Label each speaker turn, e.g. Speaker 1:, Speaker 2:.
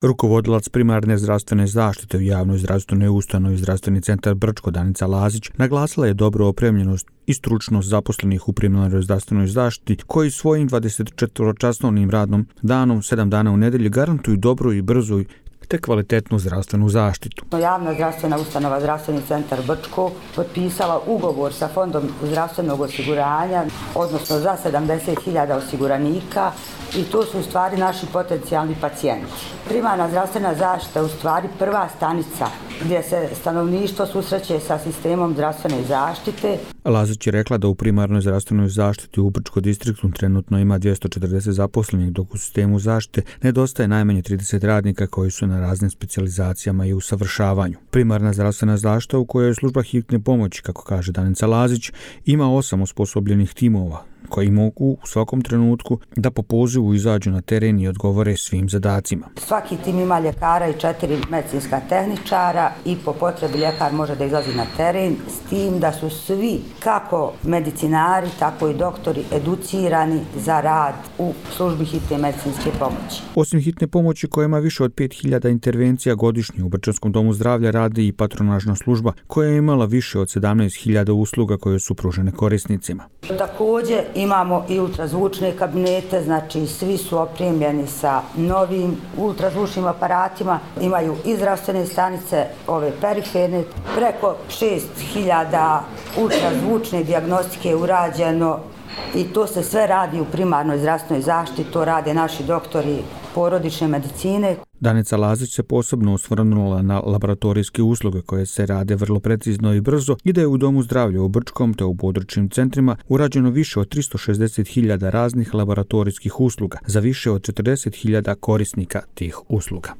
Speaker 1: Rukovodilac primarne zdravstvene zaštite u javnoj zdravstvenoj ustanovi Zdravstveni centar Brčko Danica Lazić naglasila je dobru opremljenost i stručnost zaposlenih u primarnoj zdravstvenoj zaštiti koji svojim 24-časovnim radnom danom 7 dana u nedelji garantuju dobru i brzu te kvalitetnu zdravstvenu zaštitu.
Speaker 2: Javna zdravstvena ustanova Zdravstveni centar Brčko potpisala ugovor sa Fondom zdravstvenog osiguranja, odnosno za 70.000 osiguranika, i to su u stvari naši potencijalni pacijenti. Primarna zdravstvena zaštita je u stvari prva stanica gdje se stanovništvo susreće sa sistemom zdravstvene zaštite.
Speaker 1: Lazić je rekla da u primarnoj zdravstvenoj zaštiti u Brčko distriktu trenutno ima 240 zaposlenih, dok u sistemu zaštite nedostaje najmanje 30 radnika koji su na raznim specijalizacijama i usavršavanju. Primarna zdravstvena zaštita, u kojoj je služba hitne pomoći, kako kaže Danica Lazić, ima 8 osposobljenih timova koji mogu u svakom trenutku da po pozivu izađu na teren i odgovore svim zadacima.
Speaker 2: Svaki tim ima ljekara i 4 medicinska tehničara i po potrebi ljekar može da izlazi na teren, s tim da su svi, kako medicinari, tako i doktori, educirani za rad u službi hitne medicinske pomoći.
Speaker 1: Osim hitne pomoći koja ima više od 5000 intervencija godišnje, u Brčanskom domu zdravlja radi i patronažna služba koja je imala više od 17.000 usluga koje su pružene korisnicima.
Speaker 2: Također imamo i ultrazvučne kabinete, znači svi su opremljeni sa novim ultrazvučnim aparatima, imaju i zdravstvene stanice, ove periferne, preko 6.000 ultrazvučne dijagnostike je urađeno i to se sve radi u primarnoj zdravstvenoj zaštiti, to rade naši doktori porodične medicine.
Speaker 1: Danica Lazić se posebno osvrnula na laboratorijske usluge koje se rade vrlo precizno i brzo i da je u Domu zdravlja u Brčkom te u područnim centrima urađeno više od 360.000 raznih laboratorijskih usluga za više od 40.000 korisnika tih usluga.